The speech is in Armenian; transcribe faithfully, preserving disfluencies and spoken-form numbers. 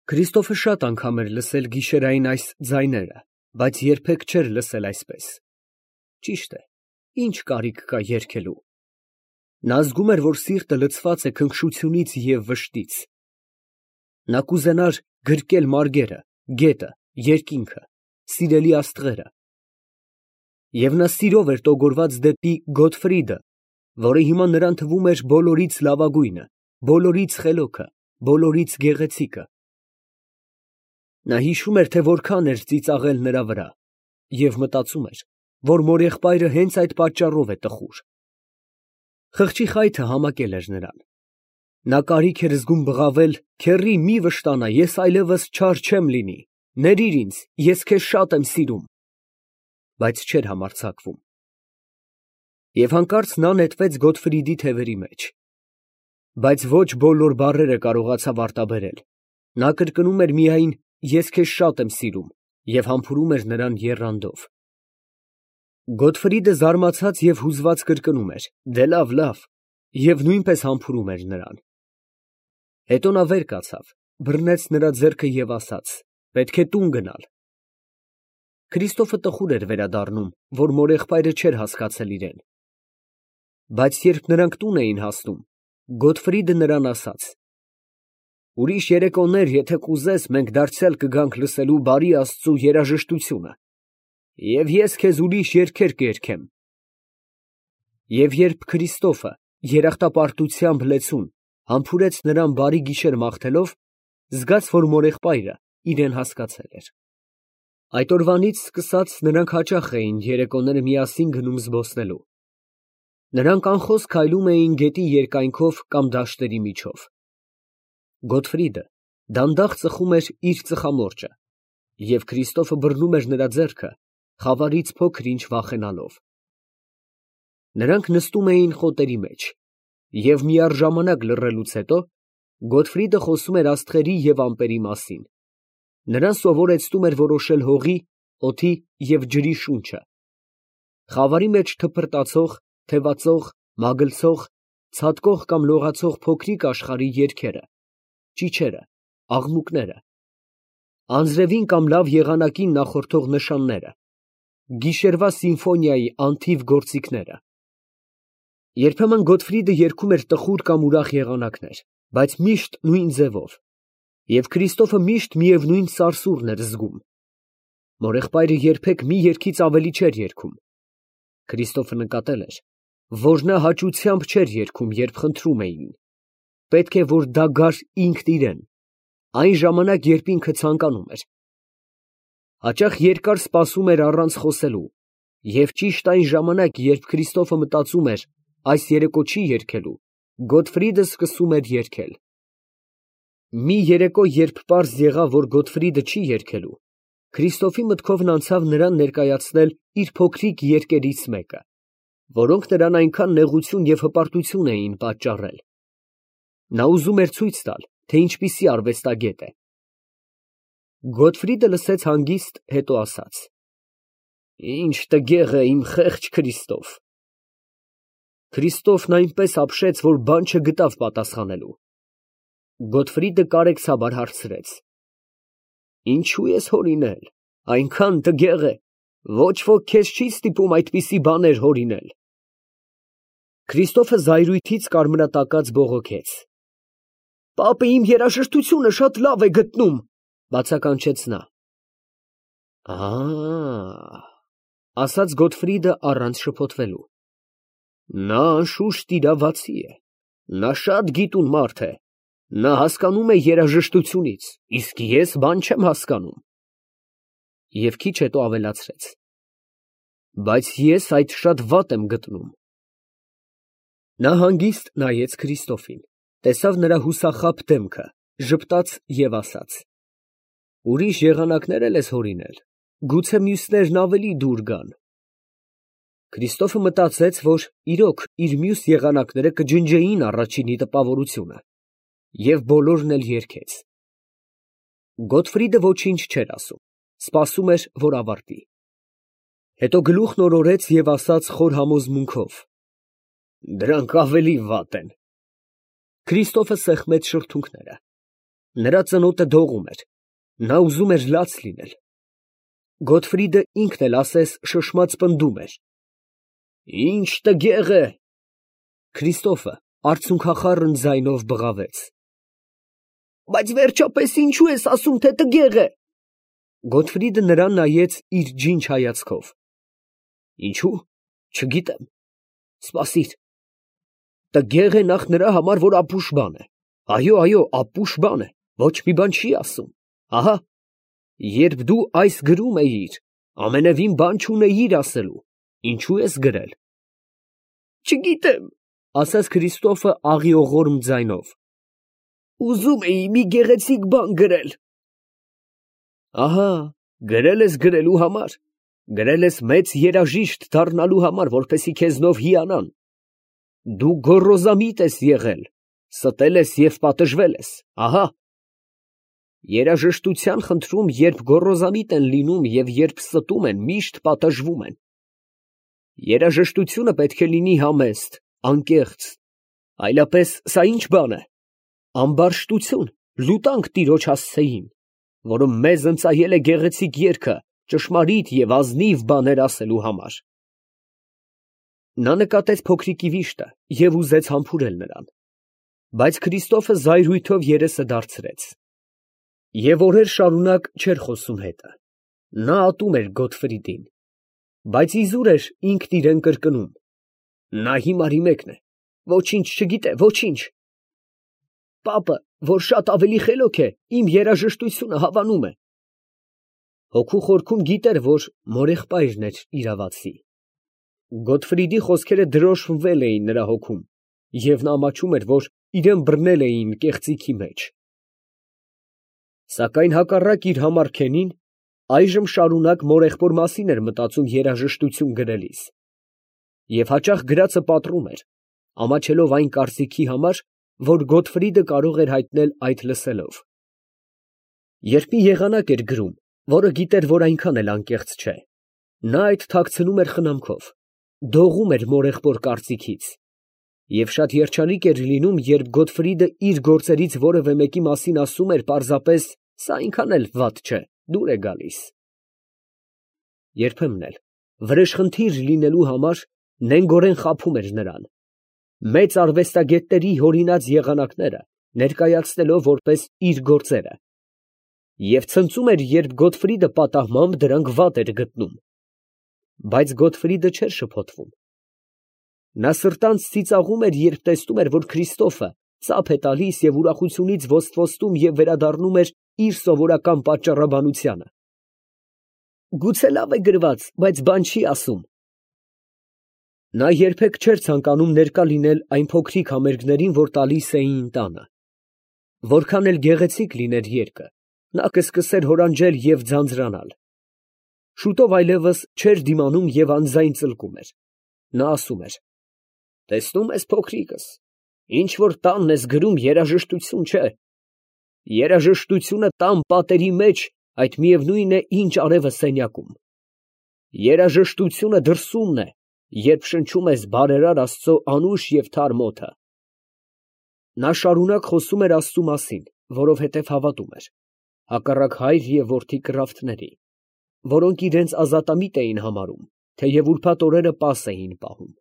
Քրիստոֆը շատ անգամ էր լսել գիշերային այս ձայները, բայց երբեք չէր լսել այսպես։ Ճիշտ է, ի՞նչ կարիք կա երգելու։ Նա զգում էր, որ սիրտը լցված է քնքշությունից և վշտից։ Նա կուզենար գրկել մարգերը, գետը, երկինքը, սիրելի աստղերը։ Եվ նա սիրով էր տոգորված դեպի Գոթֆրիդը, որը հիմա նրան թվում էր բոլորից լավագույնը, բոլորից խելոքը, բոլորից գեղեցիկը։ Նա հիշում էր, թե որքան էր ծիծաղել նրա վրա, և մտածում էր, որ մորեղբայրը հենց այդ պատճառով է տխուր։ Խղճի խայթը համակել էր նրան։ Նա կարիք էր զգում բղավել. «Քեռի, մի վշտանա, ես այլևս չար չեմ լինի, ներիր ինձ, ես քեզ շատ եմ սիրում», բայց չէր համարձակվում։ Եվ հանկարծ նա նետվեց Գոթֆրիդի թևերի մեջ։ Բայց ոչ բոլոր բառերը կարողացավ արտաբերել։ Նա կրկնում էր միայն. «Ես քեզ շատ եմ սիրում» և համբուրում էր նրան եռանդով։ Գոթֆրիդը զարմացած և հուզված կրկնում էր. «Դե լավ, լավ» և նույնպես համբուրում էր նրան։ Հետո նա վեր կացավ, բռնեց նրա ձեռքը և ասաց. «Պետք է տուն գնալ»։ Քրիստոֆը տխուր էր վերադառնում, որ մորեղբայրը չէր հասկացել իրեն։ Բայց երբ նրանք տուն էին հասնում, Գոթֆրիդը նրան ասաց. «Ուրիշ երեկոներ, եթե կուզես, մենք դարձյալ կգանք լսելու բարի Աստծու երաժշտությունը, և ես քեզ ուրիշ երգեր կերգեմ»։ Եվ երբ Քրիստոֆը երախտապարտությամբ լեցուն համբուրեց նրան բարի գիշեր մաղթելով, զգաց, որ մորեղբայրը իրեն հասկացել էր։ Այդ օրվանից սկսած նրանք հաճախ էին երեկոները միասին գնում զբոսնելու։ Նրանք անխոս քայլում էին գետի երկայնքով կամ դաշտերի միջով։ Գոթֆրիդը դանդաղ ծխում էր իր ծխամորճը, և Քրիստոֆը բռնում էր նրա ձեռքը, խավարից փոքր֊ինչ վախենալով։ Նրանք նստում էին խոտերի մեջ, և միառժամանակ լռելուց հետո Գոթֆրիդը խոսում էր աստղերի և ամպերի մասին։ Նրան սովորեցնում էր որոշել հողի, օդի և ջրի շունչը, խավարի մեջ թփրտացող, թևածող, մագլցող, ցատկող կամ լողացող փոքրիկ աշխարհի երգերը, ճիչերը, աղմուկները, անձրևին կամ լավ եղանակին նախորդող նշանները, գիշերվա սիմֆոնիայի անթիվ գործիքները։ Երբեմն Գոթֆրիդը երգում էր տխուր կամ ուրախ եղանակներ, բայց միշտ նույն ձևով, և Քրիստոֆը միշտ միևնույն սարսուռն էր զգում։ Մորեղբայրը երբեք մի երգից ավելի չէր երգում։ Քրիստոֆը նկատել էր, որ նա հաճությամբ չէր երգում, երբ խնդրում էին։ Պետք է, որ դա գար ինքն իրեն, այն ժամանակ, երբ ինքը ցանկանում էր։ Հաճախ երկար սպասում էր առանց խոսելու, և ճիշտ այն ժամանակ, երբ Քրիստոֆը մտածում էր. այս երեկո չի երգելու, Գոթֆրիդը սկսում էր երգել։ Մի երեկո, երբ պարզ եղավ, որ Գոթֆրիդը չի երգելու, Քրիստոֆի մտքովն անցավ նրան ներկայացնել իր փոքրիկ երգերից մեկը, որոնք նրան այնքան նեղություն և հպարտություն էին պատճառել։ Նա ուզում էր ցույց տալ, թե ինչպիսի արվեստագետ է։ Գոթֆրիդը լսեց հանգիստ, հետո ասաց. «Ինչ տգեղ է իմ խեղճ Քրիստոֆ»։ Քրիստոֆն այնպես ապշեց, որ բան չգտավ պատասխանելու։ Գոթֆրիդը կարեկցաբար հարցրեց. «Ինչո՞ւ ես հորինել, այնքան տգեղ է, ոչ ոք քեզ չի ստիպում այդպիսի բաներ հորինել»։ Քրիստոֆը զայրույթից կարմրատակած բողոքեց. «Պապը իմ երաժշտությունը շատ լավ է գտնում», բացականչեց նա։ «Ա՜», ասաց Գոթֆրիդը առանց շփոթվելու։ «Նա անշուշտ իրավացի է, նա շատ գիտուն մարդ է, նա հասկանում է երաժշտությունից, իսկ ես բան չեմ հասկանում»։ Եվ քիչ հետո ավելացրեց. «Բայց ես այդ շատ վատ եմ գտնում»։ Նա հանգիստ նայեց Քրիստոֆին, տեսավ նրա հուսախաբ դեմքը, ժպտաց և ասաց. «Ուրիշ եղանակներ էլ ես հորինել, գուցե մյուսներն ավելի դուր գան»։ Քրիստոֆը մտածեց, որ իրոք իր մյուս եղանակները կջնջեին առաջինի տպավորությունը, և բոլորն էլ երգեց։ Գոթֆրիդը ոչինչ չէր ասում, սպասում էր, որ ավարտի։ Հետո գլուխն օրորեց և ասաց խոր համոզմունքով. «Դրանք ավելի վատ են»։ Քրիստոֆը սեղմեց շրթունքները։ Նրա ծնոտը դողում էր, նա ուզում էր լաց լինել։ Գոթֆրիդը ինքն էլ ասես շշմած պնդում էր. «Ի՞նչ տգեղ է»։ Քրիստոֆը արցունքախառն ձայնով բղավեց. «Բայց վերջապես ինչո՞ւ ես ասում, թե տգեղ է»։ Գոթֆրիդը նրան նայեց իր ջինջ հայացքով։ «Ինչո՞ւ, չգիտեմ, սպասիր, տգեղ է նախ նրա համար, որ ապուշ բան է, այո, այո, ապուշ բան է, ոչ մի բան չի ասում, ահա, երբ դու այս գրում էիր, ամենևին բան չունեիր ասելու, ինչո՞ւ ես գրել»։ «Չգիտեմ», ասաց Քրիստոֆը աղիողորմ ձայնով, «ուզում էի մի գեղեցիկ բան գրել»։ «Ահա, գրել ես գրելու համար, գրել ես մեծ երաժիշտ դառնալու համար, որպեսզի քեզնով հիանան։ Դու գոռոզամիտ ես եղել, ստել ես և պատժվել ես, ահա։ Երաժշտության խնդրում, երբ գոռոզամիտ են լինում և երբ ստում են, միշտ պատժվում են։ Երաժշտությունը պետք է լինի համեստ, անկեղծ, այլապես սա ի՞նչ բան է։ Ամբարշտություն, լուտանք տիրոջ հասցեին, որը մեզ ընծայել է գեղեցիկ երգը ճշմարիտ և ազնիվ բաներ ասելու համար»։ Նա նկատեց փոքրիկի վիշտը և ուզեց համբուրել նրան, բայց Քրիստոֆը զայրույթով երեսը դարձրեց։ Եվ օրեր շարունակ չէր խոսում հետը, նա ատում էր Գոթֆրիդին, բայց իզուր էր ինքն իրան կրկնում. «Նա հիմարի մեկն է, ոչինչ չգիտե, ոչինչ»։ Պապը, որ շատ ավելի խելոք է, իմ երաժշտությունը հավանում է։ Հոգու խորքում գիտեր, որ մորեղբայրն էր իրավացի։ Գոթֆրիդի խոսքերը դրոշմվել էին նրա հոգում, և նա ամաչում էր, որ իրան բռնել էին կեղծիքի մեջ։ Սակայն հակառակ իր համառքենին, այժմ շարունակ մորեղբոր մասին էր մտածում երաժշտություն գրելիս, և հաճախ գրածը պատռում էր, ամաչելով այն կարծիքի համար, որ Գոթֆրիդը կարող էր հայտնել այդ լսելով։ Երբ մի եղանակ էր գրում, որը գիտեր, որ այնքան էլ անկեղծ չէ, նա այդ թաքցնում էր խնամքով, դողում էր մորեղբոր կարծիքից, և շատ երջանիկ էր լինում, երբ Գոթֆրիդը իր գործերից որևէ մեկի մասին ասում էր պարզապես. «Սա այնքան էլ վատ չէ, դուր է գալիս»։ Երբեմն էլ, վրեժխնդիր լինելու համար, նենգորեն խաբում էր նրան, մեծ արվեստագետների հորինած եղանակները ներկայացնելով որպես իր գործերը, և ցնծում էր, երբ Գոթֆրիդը պատահմամբ դրանք վատ էր գտնում, բայց Գոթֆրիդը չէր շփոթվում։ Նա սրտանց ծիծաղում էր, երբ տեսնում էր, որ Քրիստոֆը ծափ է տալիս և ուրախությունից ոստվոստում և վերադառնում էր իր սովորական պատճառաբանությանը։ «Գուցե լավ է գրված, բայց բան չի ասում»։ Նա երբեք չէր ցանկանում ներկա լինել այն փոքրիկ համերգներին, որ տալիս էին տանը։ Որքան էլ գեղեցիկ լիներ երգը, նա կսկսեր հորանջել և ձանձրանալ։ Շուտով այլևս չէր դիմանում և անձայն ծլկում էր։ Նա ասում էր. «Տեսնում ես, փոքրիկս, ինչ որ տանն ես գրում, երաժշտություն չէ։ Երաժշտությունը տան պատերի մեջ, այդ միևնույն է, ինչ արևը սենյակում։ Երաժշտությունը դրսումն է, երբ շնչում ես բարերար Աստծո անուշ և թարմ օդը»։ Նա շարունակ խոսում էր Աստծու մասին, որովհետև հավատում էր, հակառակ հայր և որդի կռավտների, որոնք իրենց ազատամիտ էին համարում, թեև ուրբաթ օրերը պաս էին պահում։